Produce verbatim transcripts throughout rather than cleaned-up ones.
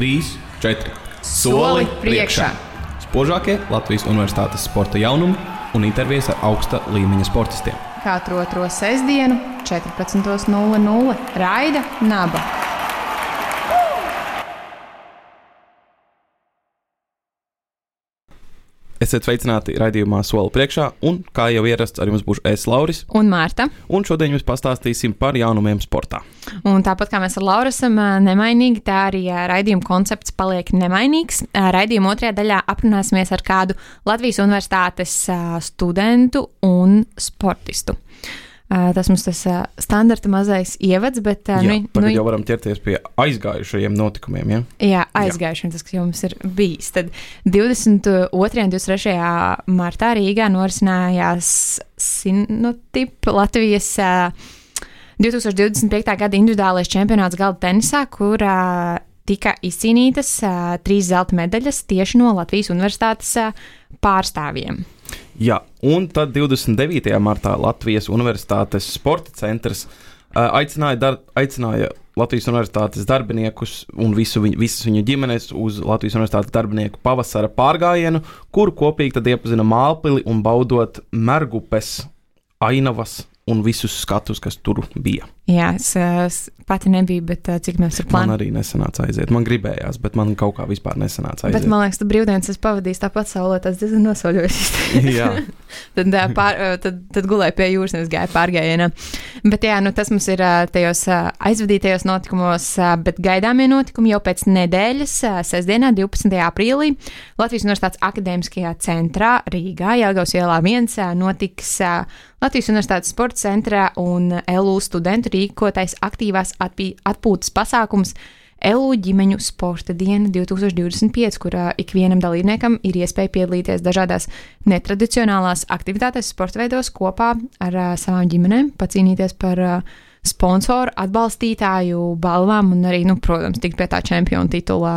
trīs, četri. Soli priekšā! Spožākie Latvijas Universitātes sporta jaunumi un intervijas ar augsta līmeņa sportistiem. Katru otro sestdienu, četrpadsmit nulle nulle raida Naba. Esiet sveicināti raidījumā Soli priekšā, un kā jau ierasts, ar jums būšu es, Lauris. Un Mārta. Un šodien jums pastāstīsim par jaunumiem sportā. Un tāpat kā mēs ar Lauru esam nemainīgi, tā arī raidījuma koncepts paliek nemainīgs. Raidījuma otrajā daļā aprunāsimies ar kādu Latvijas Universitātes studentu un sportistu. Tas mums tas standarta mazais ievads, bet... Jā, nu, tagad nu, jau varam ķerties pie aizgājušajiem notikumiem, ja? Jā, aizgājušiem, tas, kas jums ir bijis. Tad divdesmit otrajā un divdesmit trešajā martā Rīgā norisinājās Sinotip Latvijas divtūkstoš divdesmit piektajā gada individuālais čempionāts galda tenisā, kur tika izcīnītas trīs zelta medaļas tieši no Latvijas Universitātes pārstāvjiem. Jā, un tad divdesmit devītajā martā Latvijas Universitātes sporta centrs uh, aicināja, dar, aicināja Latvijas Universitātes darbiniekus un visu viņu, visas viņu ģimenes uz Latvijas Universitātes darbinieku pavasara pārgājienu, kuru kopīgi tad iepazina Mālpili un baudot Mergupes, ainavas un visus skatus, kas tur bija. Jā, es, es pati nebiju, bet cik mēs ar plānu. Man arī nesanāca aiziet. Man gribējās, bet man kaut kā vispār nesanāca aiziet. Bet man liekas, tu brīvdienas esi pavadījis tāpat saulē, tas diezgan nosoļojas. Jā. tad, pār, tad, tad gulēja pie jūras, nevis gāja pārgājienā. Bet jā, nu tas mums ir tajos aizvadītajos notikumos, bet gaidāmie notikumi jau pēc nedēļas, sestdienā, divpadsmitajā aprīlī, Latvijas Universitātes akadēmiskajā centrā Rīgā, Jelgavas ielā viens, notiks Latvijas Universitātes sporta centrā un L U studentu rīkotais aktīvās atpī, atpūtas pasākums L U ģimeņu sporta diena divtūkstoš divdesmit pieci, kurā ikvienam dalībniekam ir iespēja piedalīties dažādās netradicionālās aktivitātēs sporta veidos kopā ar uh, savām ģimenēm, pacīnīties par uh, sponsoru, atbalstītāju balvām un arī, nu, protams, tikt pie tā čempiona titulā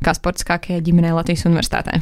kā sportiskākajai ģimenei Latvijas Universitātē.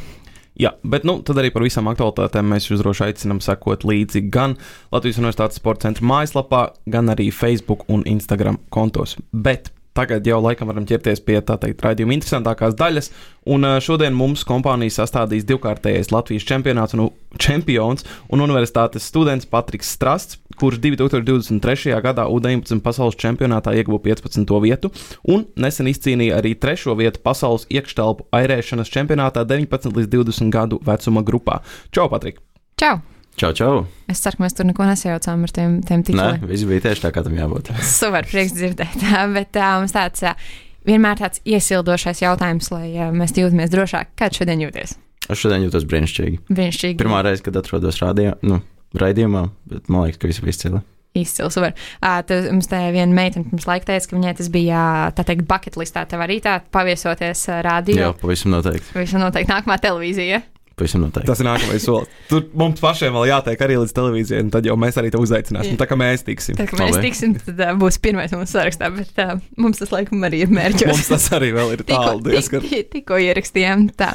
Jā, bet nu, tad arī par visām aktualitātēm mēs jūs droši aicinām sekot līdzi gan Latvijas Universitātes sporta centra mājaslapā, gan arī Facebook un Instagram kontos. Bet tagad jau laikam varam ķerties pie tā teikt raidījuma interesantākās daļas, un šodien mums kompānija sastādīs divkārtējais Latvijas čempionāts un čempions un universitātes students Patriks Strasts, kurš divtūkstoš divdesmit trešajā gadā U deviņpadsmit pasaules čempionātā ieguva piecpadsmito vietu un nesen izcīnīja arī trešo vietu pasaules iekštelpu airēšanas čempionātā deviņpadsmit līdz divdesmit gadu vecuma grupā. Čau, Patrik! Čau! Čau, čau! Es ceru, ka mēs tur neko nesajaucām ar tiem, tiem tituliem. Nē, viss bija tieši tā, kā tam jābūt. Super, prieks dzirdēt. Bet uh, mums tāds uh, vienmēr tāds iesildošais jautājums, lai uh, mēs jūtamies drošāk. Kā šodien jūties? Es šodien jūtos brīnišķīgi. Brīnišķīgi. Pirmā reize, kad atrodos radio, nu, raidījumā, bet man liekas, ka viss bija izcili. Izcili, super. Uh, tad mums te viena meitene pirms laika teica, ka viņai tas bija, tā teikt, bucket listā. Tev arī tā paviesoties uh, radio. Jā, pavisam noteikti. Pavisam noteikti nākamā televīzija. Pavisam noteikti. Tas ir nākamais solis. Tur mums pašiem vēl jātiek arī līdz televīzijai, un tad jau mēs arī te uzaicināsim. Tā kā mēs tiksim. Tā kā mēs Labi. tiksim, tad uh, būs pirmais mūsu sarakstā, bet uh, mums tas laikam arī ir mērķos. Mums tas arī vēl ir tālu diezgan. Tik, tikko ierakstījām tā.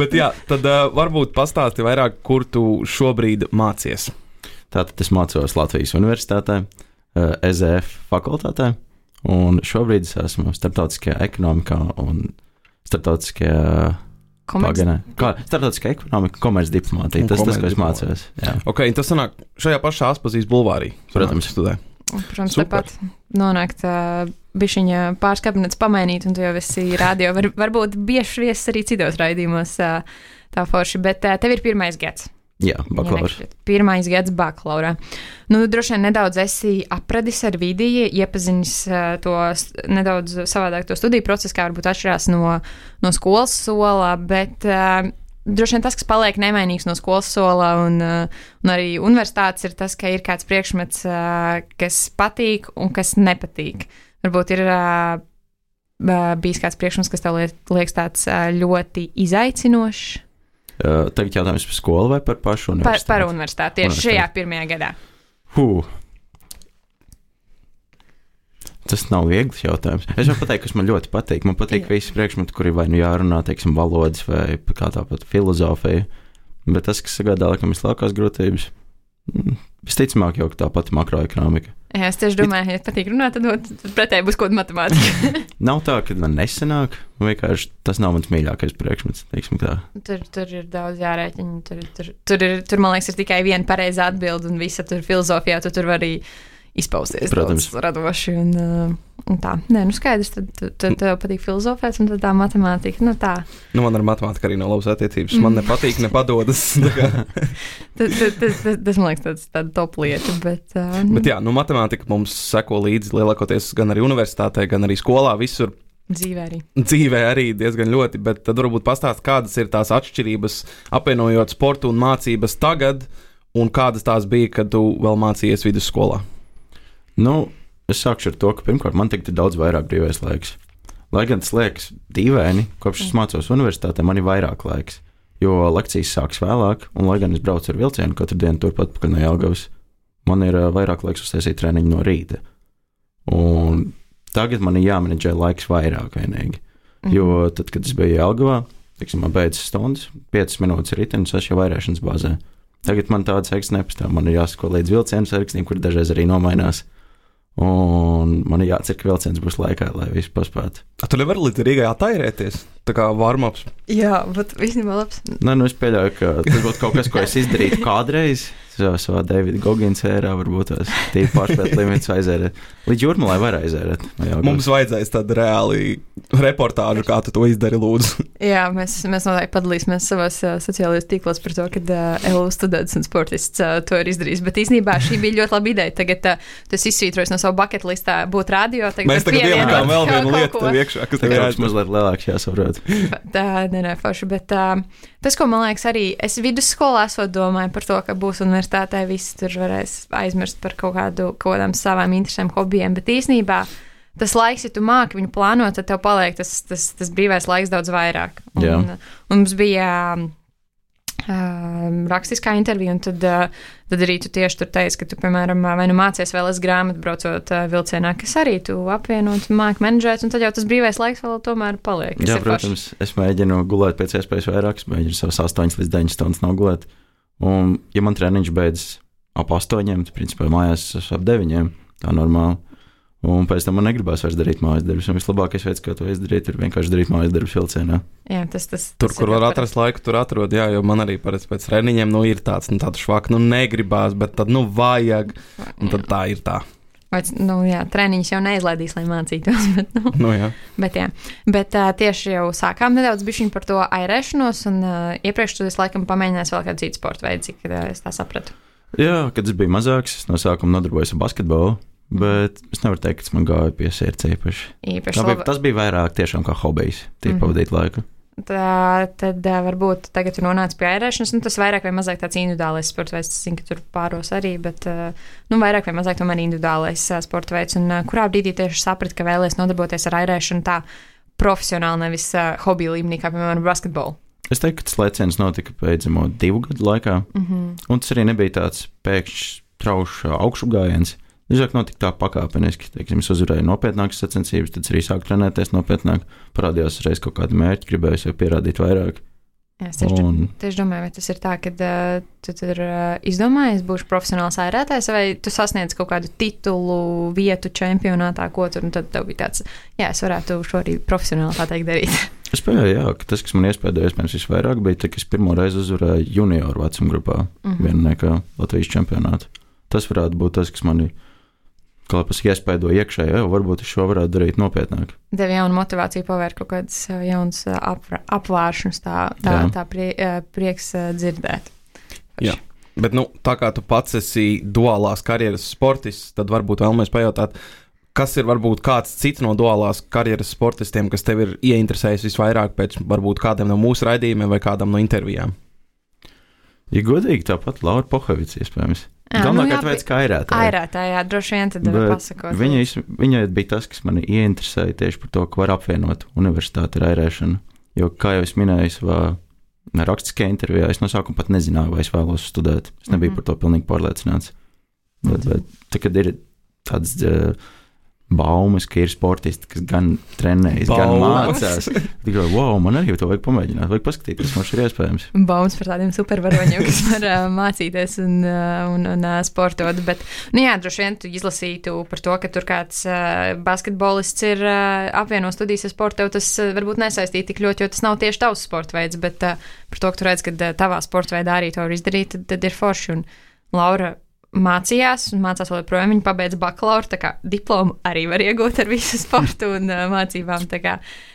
Bet jā, tad uh, varbūt pastāsti vairāk, kur tu šobrīd mācies. Tātad es mācos Latvijas Universitātē, E Z F fakultātē, un šobrīd es esmu starptautiskajā ekonomikā un starptautiskajā Komerci... Paganē. Kā, starptautiskā ekonomika, komercdiplomātija. Tas tas, ko es mācos. Jā. Ok, tas sanāk šajā pašā Aspazijas bulvārī. Protams. Studē. Protams, Super. tāpat nonākt uh, bišķiņa pāris kabinets pamainīt, un tu jau esi radio. Var, varbūt bieži viesis arī citos raidījumos uh, tā forši, bet uh, tev ir pirmais gads. Jā, bakalaura. Ja pirmais gads bakalaurā. Nu, droši vien nedaudz esi apradis ar vidi, iepazinis uh, to nedaudz savādāk to studiju procesu, kā varbūt atšķirās no, no skolas sola, bet uh, droši vien tas, kas paliek nemainīgs no skolas sola un, uh, un arī universitātes, ir tas, ka ir kāds priekšmets, uh, kas patīk un kas nepatīk. Varbūt ir uh, bijis kāds priekšmets, kas tev liekas tāds uh, ļoti izaicinošs. Uh, tagad jautājums par skolu vai par pašu universitāti? Par, par universitāti, tieši universitāti. Šajā pirmajā gadā. Huh. Tas nav viegls jautājums. Es varu pateikt, kas man ļoti patīk. Man patīk visi priekšmeti, kuri vai nu jārunā, teiksim, valodas vai kā tāpat filozofija. Bet tas, kas sagādā laikam vislielākās grūtības, Visticamāk jau tā pati makroekonomika. Jā, es tieši domāju, ja patīk runāt, tad, tad pretēji būs kaut kāda matemātika. Nav tā, ka man nesanāk, vienkārši tas nav mans mīļākais priekšmets, teiksim tā. Tur, tur ir daudz jārēķina, tur, tur, tur, ir, tur, man liekas, ir tikai viena pareizā atbilde un visa tur filozofijā, tu tur var arī izpausties Protams. daudz radoši un, un tā. Nē, nu skaidrs, tad, tad, tad tev patīk filozofēt un tad tā matemātika, nu tā. Nu, man ar matemātiku arī nav labas attiecības. Man nepatīk, nepadodas. tas, tas, tas, tas, man liekas, tāds, tāda top lieta, bet... Uh, bet jā, nu, matemātika mums seko līdzi lielākoties gan arī universitātē, gan arī skolā, visur. Dzīvē arī. Dzīvē arī diezgan ļoti, bet tad varbūt pastāst, kādas ir tās atšķirības, apvienojot sportu un mācības tagad, un kādas tās bija, kad tu vēl mācījies vidusskolā? Nu, es sākšu ar to, ka pirmkārt man tagad ir daudz vairāk brīvais laiks. Lai gan tas liekas dīvaini, kopš es mācos universitātē, man ir vairāk laiks, jo lekcijas sāks vēlāk, un lai gan es braucu ar vilcienu katru dienu turpat pakaļ no Jelgavas, man ir uh, vairāk laiks uztaisīt treniņu no rīta. Un tagad man ir jāmenedžē laiks vairāk vienīgi, mm. jo tad, kad es biju Jelgavā, tiksim, man beidzas stundas, piecas minūtes ritenis, es jau vairēšanas bāzē. Tagad man tādas saikstes nepastāv, man ir jāsako līdz vilcienu sarakstiem, kur dažreiz arī nomainās. Un man ir jācer, ka vilciens būs laikā, lai visu paspētu. A, tu nevari līdz Rīgai attairēties? Tā kā warm-ups? Jā, bet īstenībā labs. Nē, nu es pieļauju, ka tas būtu kaut kas, ko es izdarītu kādreiz. Savā Davida Gogins ērā varbūt tās tīri pārspēt limitus aizērēt. Līdz Jūrmalai var aizērēt. Mums vajadzēs tādu reāli reportāžu, kā tu to izdari, lūdzu. Jā, mēs, mēs noteikti padalīsimies savās uh, sociālajos tīklos par to, kad uh, L U students un sportists uh, to ir izdarījis. Bet īstenībā šī bija ļoti laba ideja. Tagad uh, tas izsvītrojas no savu bucket listā būt radio. Tagad mēs tagad ielikām vēl vienu lietu tev iekšā, kas tev jāatcer. Mazliet lielāks jāsaprot. Tā, nē, nē, forši, bet uh, tas, ko man liekas arī, es vidusskolā esot domāju par to, ka būs universitātē, visi tur varēs aizmirst par kaut kādu, kaut kādām savām interesēm, hobijiem, bet īsnībā tas laiks, ja tu māki viņu plānot, tad tev paliek tas, tas, tas brīvais laiks daudz vairāk. Un, Jā. un mums bija uh, rakstiskā intervija, un tad, uh, tad arī tu tieši tur teici, ka tu, piemēram, vai nu mācies vēl es grāmatu braucot uh, vilcienā, kas arī tu apvienot, māki menedžēt, un tad jau tas brīvais laiks vēl tomēr paliek. Jā, protams, paši. Es mēģinu gulēt pēc iespējas vairāk, es mēģinu savas astoņas līdz deviņas stundas nogulēt, un ja man treniņš beidzas ap astoņiem, tad principā mājās es ap deviņiem, tā normāli. Un pēc tam man negribās vairs darīt mājas darbus. Un vislabākais veids, kā to izdarīt, ir vienkārši darīt mājas darbus vilcienā. Jā, tas, tas, tur, tas kur var atrast laiku, tur atrod. Jā, jo man arī pēc, pēc treniņiem nu, ir tāds, nu, tāds švāk, nu, negribās, bet tad, nu, vajag. Un tad tā ir tā. Vai, nu, jā, treniņš jau neizlaidīs, lai mācītos. Bet, nu, nu, jā. bet, jā. bet uh, tieši jau sākām nedaudz bišķiņ par to airēšanos, un uh, iepriekš tu es laikam pamēģināsi vēl kādu citu sporta veidu, cik uh, es tā sapratu. Jā, kad es biju mazāks, es no sākuma nodarbojos ar basketbolu. Bet es nevaru teikt, ka man gāja pie sirds īpaši. īpaši bija, tas bija vairāk tiešām kā hobijs, tīri mm-hmm. pavadīt laiku. Tā, tad uh, varbūt tagad tu nonāc pie airēšanas, nu tas vairāk vai mazāk tāds individuālais sporta veids, es zinu, ka tur pāros arī, bet uh, nu vairāk vai mazāk tomēr individuālais uh, sporta veids, un uh, kurā brīdī tieši saprat, ka vēlies nodarboties ar airēšanu tā profesionāli, nevis uh, hobija līmenī, kā piemēram basketbolu. Es teiktu, ka tas lēciens notika beidzamo divu gadu laikā, mm-hmm. un tas arī nebija tāds pēkšņs traušs augšu gājiens. Drīzāk notika tā pakāpeniski. Teiksim, es uzvarēju nopietnākas sacensības, tad arī sāku trenēties nopietnāk. Parādījās reiz kaut kādi mērķi, gribēju sev pierādīt vairāk. Jā, es tieši, un... tieši domāju, vai tas ir tā, ka uh, tu tur uh, izdomājies, būšu profesionāls airētājs, vai tu sasniedz kaut kādu titulu, vietu čempionātā, ko tur, un tad tev bija tāds, jā, es varētu šo arī profesionāli tā teikt darīt. Es pieļauju, jā, ka tas, kas man iespēdēja, iespējams, visvairāk bija, tā, ka es pirmo reizi uzvarēju junioru vecuma grupā, mm-hmm. vienniekā Latvijas čempionātu. Tas varētu būt tas, kas mani kā pēc iespēdo iekšēji, jau varbūt es šo varētu darīt nopietnāk. Tev jauna motivācija pavērt kaut kādas jaunas apvāršanas, tā, tā, tā prie, prieks dzirdēt. Jā, bet nu, tā kā tu pats esi duālās karjeras sportists, tad varbūt vēlamies pajautāt, kas ir varbūt kāds cits no duālās karjeras sportistiem, kas tev ir ieinteresējis visvairāk pēc varbūt kādiem no mūsu raidījumiem vai kādam no intervijām? Ja godīgi, tāpat Laura Pohovics iespējams. Galvenākārt nu, veids kā airētāja. Airētājā, droši vien tad var pasakot. Viņa, viņa bija tas, kas mani ieinteresēja tieši par to, ka var apvienot universitāti ar airēšanu. Jo, kā jau es minēju savā rakstiskajā intervijā, es no sākuma pat nezināju, vai es vēlos studēt. Es nebiju mm-hmm. par to pilnīgi pārliecināts. Bet, bet tā, kad ir tāds uh, baumas, ka ir sportisti, kas gan trenējas, gan mācās. Tikai, wow, man arī to vajag pamēģināt, vajag paskatīties, kas mums ir iespējams. Baumas par tādiem supervaroņiem, kas var uh, mācīties un, uh, un, un uh, sportot. Bet, nu jā, droši vien tu izlasītu par to, ka tur kāds uh, basketbolists ir uh, apvieno studijas ar sportu, tev tas uh, varbūt nesaistīt tik ļoti, jo tas nav tieši tavs sporta veids, bet uh, par to, ka tu redz, ka uh, tavā sporta veidā arī to var izdarīt, tad, tad ir forši. Un Laura mācījās un mācās vēl joprojām. Viņa pabeidza bakalauru, tā kā diplomu arī var iegūt ar visu sportu un uh, mācībām. Tā kā,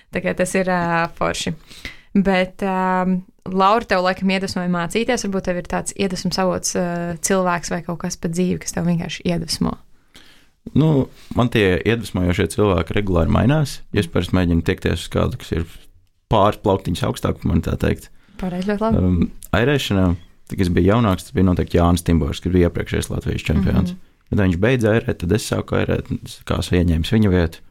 tā kā tas ir uh, forši. Bet um, Laura tev laikam iedvesmoja mācīties. Varbūt tev ir tāds iedvesmas avots uh, cilvēks vai kaut kas pa dzīvi, kas tev vienkārši iedvesmo. Nu, man tie iedvesmojošie cilvēki regulāri mainās. Ja es parasti mēģinu tiekties uz kādu, kas ir pāris plauktiņus augstāk, man tā teikt. Pareizi, ļoti labi. Um, airēšanā. Kad es biju jaunāks, tas bija noteikti Jānis Timbors, kas bija iepriekšējais Latvijas čempions. Mm-hmm. Kad viņš beidza airēt, tad es sāku airēt, kā es ieņēmu viņa vietu.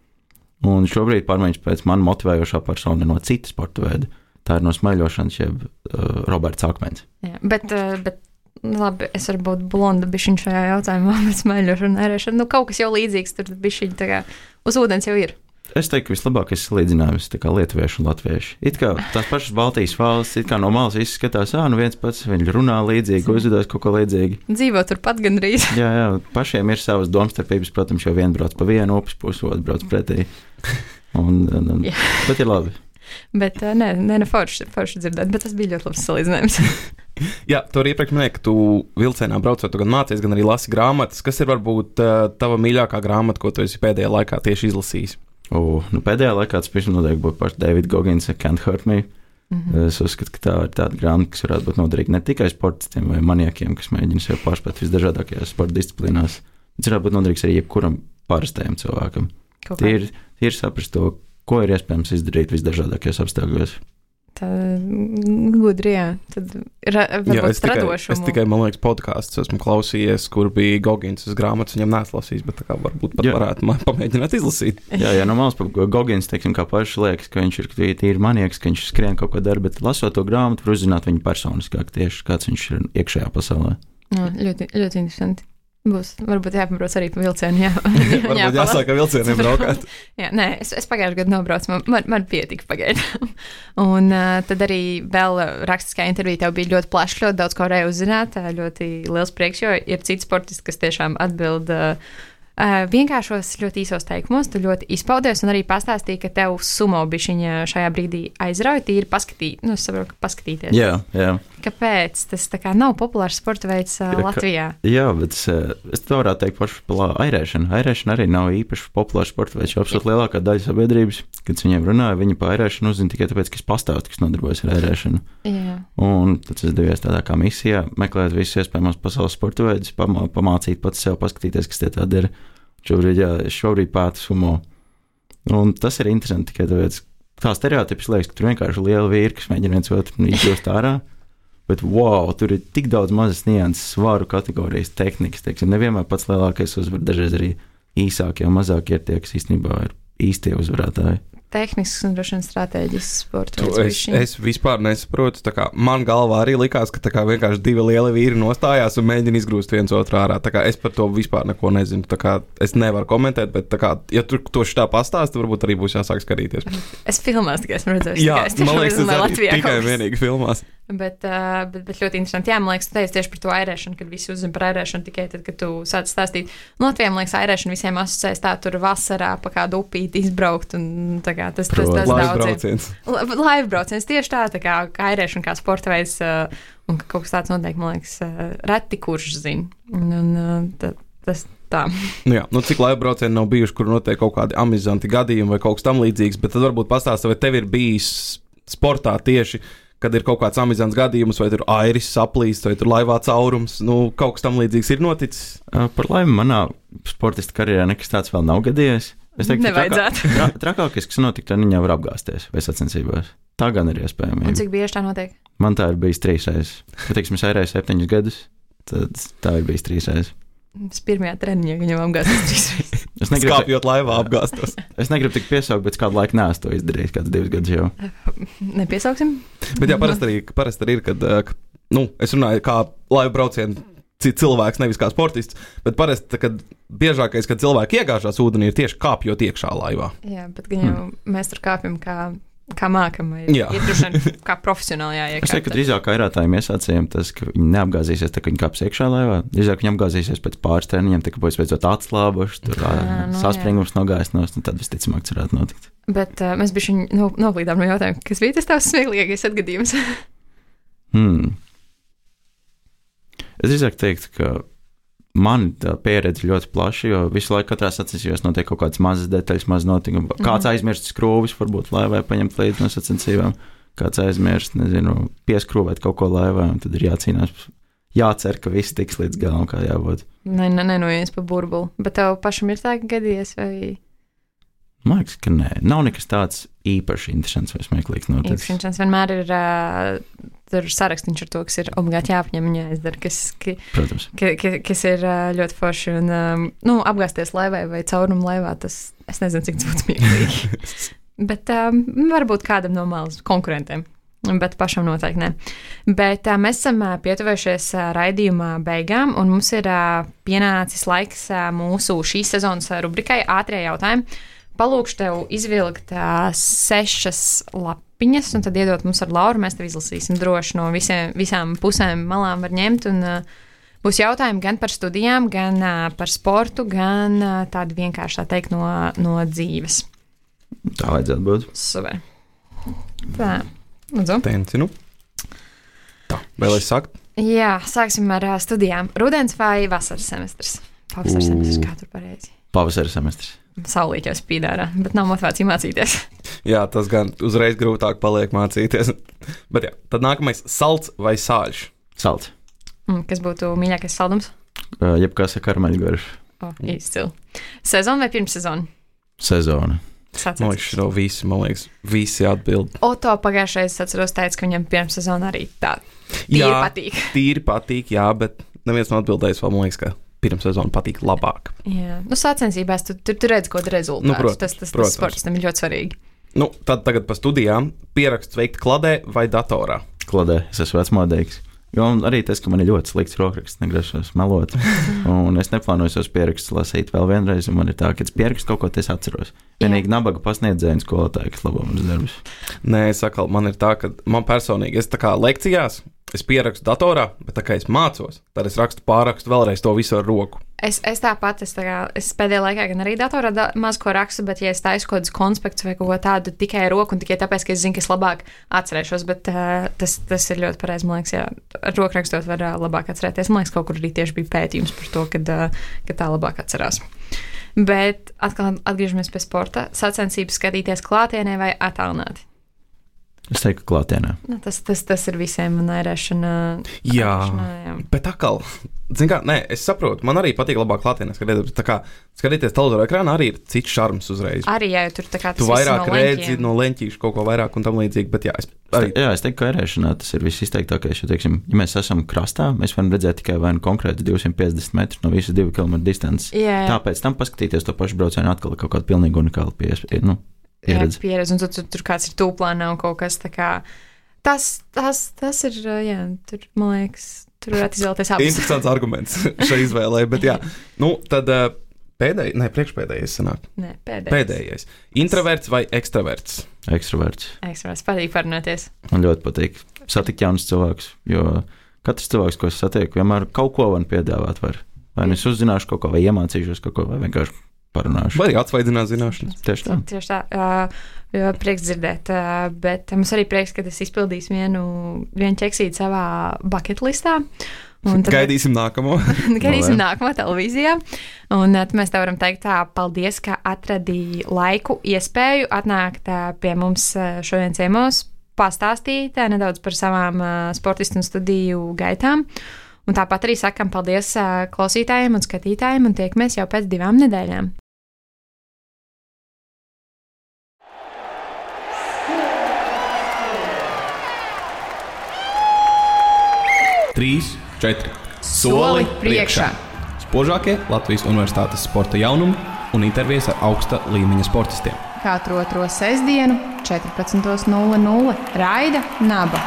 Un šobrīd pārmaiņas pēc man motivējošā persona no citas sporta veida. Tā ir no smaiļošanas, jeb uh, Roberts Akmens. Jā, bet, uh, bet labi, es varu būt blonda bišķiņ šajā jautājumā, bet smaiļošana un airēšana, nu kaut kas jau līdzīgs, tur bišķiņ tā kā uz ūdens jau ir. Es teiktu, ka vislabākais salīdzinājums ir lietuvieši un latvieši. It kā tās pašas Baltijas valsts, it kā no malas viss skatās, ā, nu viens pats, viņi runā līdzīgi, uzvedās kaut ko līdzīgi. Dzīvo turpat gandrīz. Jā, jā, pašiem ir savas domstarpības, protams, jo viens brauc pa vienu upes pusi, otrs brauc pretī. Un, un, un, bet ir labi. Bet nē, nē, ne forši, forši dzirdēt, bet tas bija ļoti labs salīdzinājums. Jā, tu arī iepriekš minēji, ka tu vilcienā braucot, tu gan mācies, gan arī lasi grāmatas. Kas ir varbūt tava mīļākā grāmata, ko tu esi pēdējā laikā tieši izlasījis? O, nu pēdējā laikā tas pašam noteikti būtu paši David Goggins Can't Hurt Me. Mm-hmm. Es uzskatu, ka tā ir tāda grāmata, kas varētu būt noderīga ne tikai sportistiem vai maniekiem, kas mēģina sev pārspēt visdažādākajās sporta disciplīnās, bet varētu būt noderīgs arī jebkuram parastajam cilvēkam. Tie ir, tie ir saprast to, ko ir iespējams izdarīt visdažādākajos apstākļos. Tā gudri, jā. Tad ra, jā, es tikai, es tikai, man liekas, podkāstus esmu klausījies, kur bija Goggins grāmatas, viņam neesmu lasījis, bet tā kā varbūt pat jā. Varētu man pamēģināt izlasīt. Jā, jā, no malas par Goggins, teiksim, kā paši liekas, ka viņš ir tīri manieks, ka viņš skrien kaut ko dara, bet lasot to grāmatu, var uzzināt viņu personiskāk tieši, kāds viņš ir iekšējā pasaulē. Jā, ļoti, ļoti interesanti. Būs, varbūt jāpabrauc arī pa vilcienu, jā. Varbūt jā, jāsāk ar vilcieniem braukāt. Jā, nē, es, es pagājušajā gadā nobraucu, man, man, man pietika pagaidām. Un uh, tad arī vēl rakstiskā intervija tev bija ļoti plašs, ļoti daudz ko varēja uzzināt, ļoti liels prieks, jo ir citi sportisti, kas tiešām atbild uh, Uh, vienkāršos, ļoti īsos teikumos, tu ļoti izpaudies un arī pastāstīji, ka tev sumo bišķiņa šajā brīdī aizrauja, tīri paskatīt, nu, es saprotu, ka paskatīties. Jā, jā. Kāpēc? Tas tā kā nav populārs sporta veids uh, jā, Latvijā. Ka, jā, bet es, es to varētu teikt pašu par airēšanu. Airēšana arī nav īpaši populārs sporta veids, jo absolūti lielākā daļa sabiedrības, kad es viņiem runāju, viņi par airēšanu uzzina tikai tāpēc, ka es pastāstu, kas nodarbojas ar airēšanu. Jā. Un tad es devies tādā kā misijā, meklēt visus iespējamos pasaules sporta veidus, pamā, pamācīt pats sev, paskatīties, kas tie tādi ir. Šobrīd, jā, es šobrīd pētu sumo. Un tas ir interesanti tikai tāpēc, tā stereotips liekas, ka tur vienkārši liela vīri, kas mēģina viens otru izjust ārā, bet wow, tur ir tik daudz mazas nianses, svaru kategorijas, tehnikas, teiksim, nevienmēr pats lielākais uzvar, dažreiz arī īsākie un mazākie ir tie, kas īstenībā ir īstie uzvarētāji. Tehnisks un droši vien strateģisks sports. Es, es vispār nesaprotu, tā kā man galvā arī likās, ka tā kā vienkārši divi lieli vīri nostājās un mēģina izgrūst viens otru ārā. Tā kā es par to vispār neko nezinu. Tā kā es nevaru komentēt, bet tā kā, ja tur to šitā pastāsta, varbūt arī būs jāsāk skatīties. Es filmās tikai esmu redzējis. Jā, tikai, man liekas, tas arī tikai vienīgi filmās. Bet, uh, bet, bet ļoti interesanti. Jā, man liekas, tu teici tieši par to airēšanu, kad visi uzzina par airēšanu tikai tad, kad tu sāc stāstīt. Latvijā, man liekas, airēšana visiem asociēs tā, tur vasarā pa kādu upīti izbraukt un tā kā tas, tas, tas, tas daudziem. Laivu brauciens tieši tā, tā kā, kā airēšana, kā sporta veids uh, un ka kaut kas tāds notiek, man liekas, uh, reti kurš zina. Un, un uh, tā, tas tā. Nu jā, nu cik laivu braucieni nav bijuši, kur notiek kaut kādi amizanti gadījumi vai kaut kas tam līdzīgs, bet tad varbūt pastāsta, vai tev ir bijis sportā tieši kad ir kaut kāds amizants gadījums, vai tur airis saplīst, vai tur laivā caurums, nu, kaut kas tam līdzīgs ir noticis? Par laimi manā sportista karjerā nekas tāds vēl nav gadījies. Es teiktu, nevajadzētu. Trakā, tra, trakākais, kas notika, tad viņa var apgāsties vai sacensībās. Tā gan ir iespējama. Un cik bieži tā notiek? Man tā ir bijis trīs reizes. Ja, teiksim, es airēju septiņus gadus, tad tā ir bijis trīs reizes. Es pirmajā treniņā viņam apgāstos trīs reizes. Es negribu, skāpjot laivā apgāstos. Es negribu tik piesaukt, bet kādu laiku neesmu to izdarījis, kāds divus gadus jau. Nepiesauksim? Bet jā, parasti arī, parasti arī ir, kad, ka, nu, es runāju, kā laivu braucienu cilvēks, nevis kā sportists. Bet parasti, kad biežākais, kad cilvēki iegāžās ūdenī, ir tieši kāpjot iekšā laivā. Jā, bet gan jau mm. mēs tur kāpjam kā, kā mākam, vai ir, ir droši kā profesionāli jāiekāpj. Es teiktu, ka drīzāk vairātājiem iesācējiem tas, ka viņi neapgāzīsies, tā, ka viņi kāps iekšā laivā. Drīzāk viņi apgāzīsies pēc pāris treniņiem, tā kā būs beidzot atslābuši, tur jā, no, saspringums nogājis nos, un tad visticamāk tas varētu notikt. Bet uh, mēs bišķi no, noplīdām no jautājuma, kas bija tas tavs smieklīgais atgadījums? hmm. Es drīzāk teiktu, ka man tā pieredze ļoti plaša, jo visu laiku katrā sacensībās notiek kaut kādas mazas detaļas, mazas notikumi. Kāds mm. aizmirst skrūvis, varbūt laivai paņemt līdzi no sacensībām, kāds aizmirst, nezinu, pieskrūvēt kaut ko laivā, un tad ir jācīnās, jācer, ka viss tiks līdz galam, kā jābūt. Nē, ne, nenojies pa burbuli, bet tev pašam ir tā gadījies, vai... Man liekas, ka nē, nav nekas tāds īpaši interesants vai smieklīgs noticis. Interesants vienmēr ir uh, tur sarakstīns ar to, kas ir obligāti jāapņem un jāizdara, kas, ki, ka, ka, kas ir uh, ļoti forši. Un, um, nu, apgāzties laivai vai caurumu laivā, tas, es nezinu, cik tas būtu smieklīgi. Bet um, varbūt kādam no malas konkurentiem. Bet pašam noteikti ne. Bet uh, mēs esam uh, pietuvējušies uh, raidījuma beigām, un mums ir uh, pienācis laiks uh, mūsu šīs sezonas uh, rubrikai ātrie jautājumi. Palūkšu tev izvilkt uh, sešas lapiņas, un tad iedot mums ar Lauru. Mēs tev izlasīsim droši no visiem, visām pusēm malām var ņemt. Un, uh, būs jautājumi gan par studijām, gan uh, par sportu, gan uh, tādi vienkārši tā teikt no, no dzīves. Tā vajadzētu būt. Super. Tā, lūdzu. Tencinu. Tā, vēl es sakt? Jā, sāksim ar uh, studijām. Rudens vai vasaras semestrs? Pavasaras semestrs, kā tur pareizi? Pavasaras semestrs. Saulīt jau spīd ārā, bet nav motivācija mācīties. Jā, tas gan uzreiz grūtāk paliek mācīties. Bet jā, tad nākamais - salds vai sāļš? Salds. Mm, kas būtu mīļākais saldums? Uh, jebkas ar karmeļgaršu. Oh, izcili. Sezona vai pirmsezona? Sezona. Man liekas, šo visi, man liekas, visi atbild. Oto pagājušais atceros teica, ka viņam pirmsezona arī tā tīri jā, patīk. Tīri patīk, jā, bet neviens nav atbildējis vēl, man liekas, ka pirmsezona patīk labāk. Jā, nu sacensībās tu, tu, tu redz, ko tu rezultātus. Nu, protams, tas tas, tas sportistam ir ļoti svarīgi. Nu, tad tagad pa studijām. Pieraksts veikt kladē vai datorā? Kladē, es esmu vecmodīgs. Jo arī tas, ka man ir ļoti slikts rokraksts, negrasos melot. Un es neplānoju savus pierakstus lasīt vēl vienreiz, un man ir tā, ka es pierakstu kaut ko, es atceros. Vienīgi nabaga pasniedzēju skolotāju, kas labo manas darbus. Nē, es sakal, man ir tā, ka man personīgi, es tā kā lekcijās, es pierakstu datorā, bet tā kā es mācos, tad es rakstu pārakstu vēlreiz to visu ar roku. Es, es tāpat, es, tā kā, es pēdējā laikā gan arī datorā da, maz ko rakstu, bet ja es taisu kaut kādus konspektus vai kaut ko tādu tikai ar roku un tikai tāpēc, ka es zinu, ka es labāk atcerēšos, bet uh, tas, tas ir ļoti pareizi, man liekas, jā, ar roku rakstot var uh, labāk atcerēties. Man liekas, kaut kur arī tieši bija pētījums par to, kad, uh, ka tā labāk atcerās. Bet atkal atgriežamies pie sporta. Sacensības skatīties klātienē vai attālināti? Es teiktu, ka klātienē. Nu, tas, tas, tas ir visiem un ērēšana. Jā, jā, bet atkal, zin kā, nē, es saprotu, man arī patīk labāk klātienē skatīties, tā kā skatīties televizora ekrānā arī ir cits šarms uzreiz. Arī, jā, jo tur tā kā tas tu vairāk no redzi no leņķīšu kaut ko vairāk un tam līdzīgi, bet jā, es arī. Jā, es teiktu, ka ērēšanā tas ir viss izteiktākais, jo, teiksim, ja mēs esam krastā, mēs varam redzēt tikai vai nu konkrēti divsimt piecdesmit metrus no visas divu kilometru distances. Jā, jā. Tāpēc tam paskatīties to pašu braucienu atkal kaut kādu pilnīgi unikālu piespēju, nu, pieredzi. Jā, pieredzi, un tur, tur, tur kāds ir tūplānā un kaut kas tā kā. Tas, tas, tas ir, jā, tur, man liekas, tur varētu izvēlēties abas. Interesants arguments šai izvēlē, bet jā. Nu, tad pēdējais, ne, priekšpēdējais sanāk. Nē, pēdējais. Pēdējais. Introverts vai ekstraverts? Ekstraverts. Ekstraverts, patīk parunāties. Man ļoti patīk satikt jaunus cilvēkus, jo katrs cilvēks, ko es satieku, vienmēr kaut ko man piedāvāt var. Vai nu es uzzināšu kaut ko, vai iemācīšos kaut ko, vai vienkārši parunāšu. Vai arī atsvaidzināt zināšanas. Tieši tā. Tieši tā. Uh, prieks dzirdēt. Uh, bet mums arī prieks, ka es izpildīšu vienu, vienu ķeksīti savā bucket listā. Tad, gaidīsim nākamo. gaidīsim nākamo televīzijā. Un tad mēs tev varam teikt tā, paldies, ka atradīji laiku, iespēju atnākt uh, pie mums uh, šodien ciemos, pastāstīt uh, nedaudz par savām uh, sportistu un studiju gaitām. Un tāpat arī sakam paldies uh, klausītājiem un skatītājiem un tiekamies jau pēc divām nedēļām. Trīs, četri. Soli priekšā. Spožākie Latvijas Universitātes sporta jaunumi un intervijas ar augsta līmeņa sportistiem. Katru otro sestdienu, četrpadsmit nulle nulle Raida Naba.